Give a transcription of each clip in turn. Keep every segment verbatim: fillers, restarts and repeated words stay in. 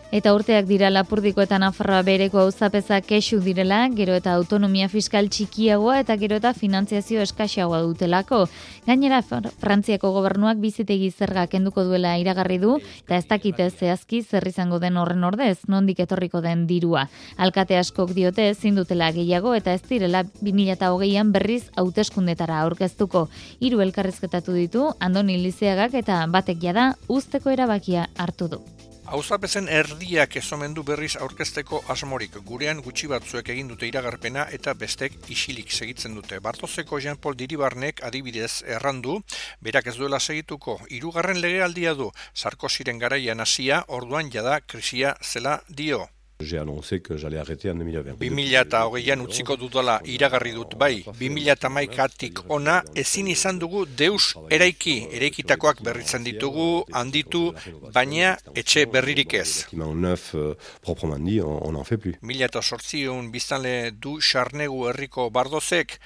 Eta urteak dira Lapurdiko eta Nafarroa bereko auzapeza kexu direla, gero eta autonomia fiskal txikiagoa eta gero eta finantziazio eskaxagoa dutelako. Gainera, Frantziako gobernuak bizitegi zerga kenduko duela iragarri du, eta ez dakite zehazki zer izango den horren ordez, nondik etorriko den dirua. Alkate askok diote ezin dutela gehiago eta ez direla bi mila hogeian berriz hauteskundetara aurkeztuko. Hiru elkarrizketatu ditu Andoni Lizeagak eta batek jada uzteko erabakia hartu du. Auzapezen erdiak ezomendu berriz aurkezteko asmorik. Gurean gutxi batzuek egin dute iragarpena eta bestek isilik segitzen dute. Bartozeko Jean-Paul Diribarnek adibidez errandu, berak ez duela segituko. Hirugarren legealdia du, Sarkoziren garaian hasia, orduan jada krisia zela dio. J'ai annoncé que j'allais arrêter en deux mille vingt. bi mila hogeian utziko dudala iragarri dut bai. bi mila hamaikatik ona ezin izan dugu deus eraiki. Eraikitakoak berritzen ditugu, handitu, baina etxe berririk ez. Neuf, euh, proprement dit, on, on en fait plus. Mila eta sortziehun biztanle du Xarnegu herriko Bardozek,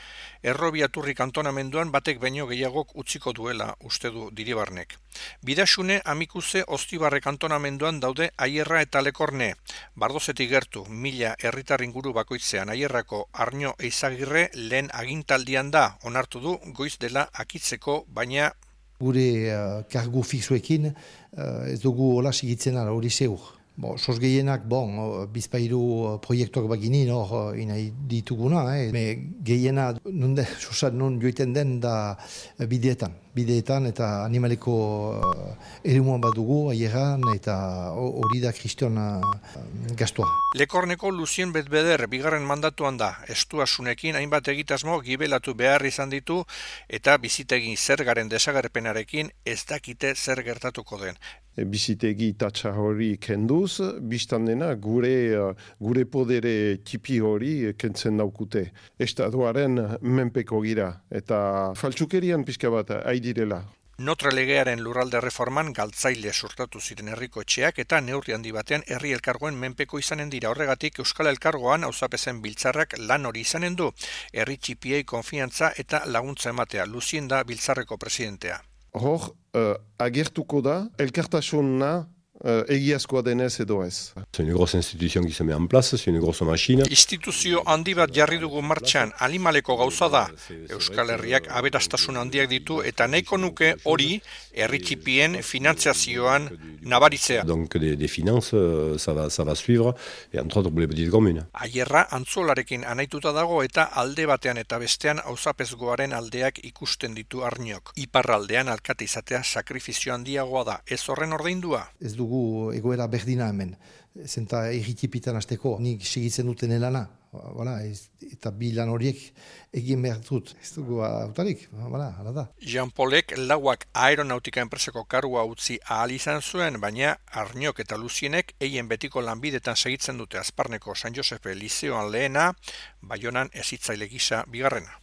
Errobiaturri kantonamenduan batek baino gehiagok utziko duela, uste du Diribarnek. Bidaxune Amikuze Ostibarre kantonamenduan daude Aierra eta Lekorne. Bardozetik gertu, mila herritar inguru bakoitzean Aierrako Arno Eizagirre lehen agintaldian da, onartu du goiz dela akitzeko, baina gure uh, kargu fixuekin uh, ez dugu hola sigitzen ala hori zeur. Bo, sos gehienak, bon, bizpairu proiektuak baginin hor inai dituguna, eh? Me gehiena nun, de, sosan, nun joiten den da bideetan. Bideetan eta animaleko uh, eremuan badugu, aieran, eta hori da kriston uh, gastua. Lekorneko Lucien Betbeder bigarren mandatuan da, estuasunekin hainbat egitasmo gibelatu behar izan ditu eta bizitegin zergaren desagerpenarekin ez dakite zer gertatuko den. Bizitegi tatsa hori kenduz, biztan dena gure, gure podere tipi hori kentzen daukute. Estatuaren menpeko gira eta faltsukerian pixka bat aidirela. Notre legearen lurralde reforman galtzaile sortatu ziren herriko etxeak eta neurri handi batean herri elkargoen menpeko izanen dira. Horregatik Euskal Elkargoan auzapezen biltzarrak lan hori izanen du. Herri txipiei konfiantza eta laguntza ematea. Lucien da biltzarreko presidentea. Hor, uh, agertuko da, elkartasuna uh, egiazkoa denez edo ez. C'est une grosse institution qui se met en place, c'est une grosse machine. Instituzio handi bat jarri dugu martxan, animaleko gauza da. Euskal Herriak aberastasun handiak ditu eta nahiko nuke hori herri txipien finantziazioan nabaritzea. Donc des, des finances, ça va, ça va suivre, et entre autres pour les petites communes. Aierra antzolarekin anaituta dago eta alde batean eta bestean auzapezgoaren aldeak ikusten ditu Arniok. Iparraldean alkate izatea sakrifizio handiagoa da, ez horren ordaindua. Ez dugu egoera berdina hemen. Zenta erritipitan azteko nik segitzen duten elana. Voilà, ez, eta bi lan horiek egin behar dut. Ez dugu autarik, voilà, hala da. Jean-Paulek lauak aeronautika enpresako karua utzi ahal izan zuen, baina Arniok eta Lucienek eien betiko lanbidetan segitzen dute Azparneko San Josepe Lizeoan lehena, Baionan hezitzaile gisa bigarrena.